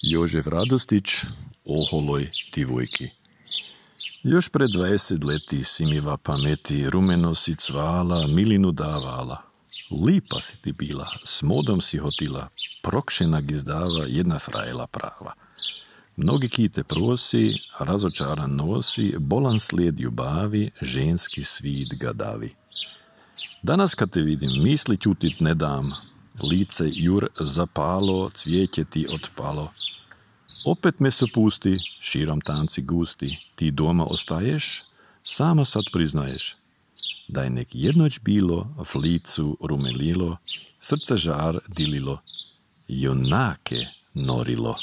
Jožef Radostić, Oholoj divojki. Još pred 20 leti si mi va pameti rumeno si cvala, milinu davala. Lipa si ti bila, s modom si hotila, prokšena gizdava, jedna frajla prava. Mnogi kite prosi, razočaran nosi, bolan slijed ljubavi, ženski svit ga davi. Danas kad te vidim, misli ćutit ne dam, lice jur zapalo, cvijeće ti otpalo. Opet me se pusti, širom tanci gusti, ti doma ostaješ, sama sad priznaješ. Da je nek jednoć bilo, v licu rumelilo, srce žar dililo, junake norilo.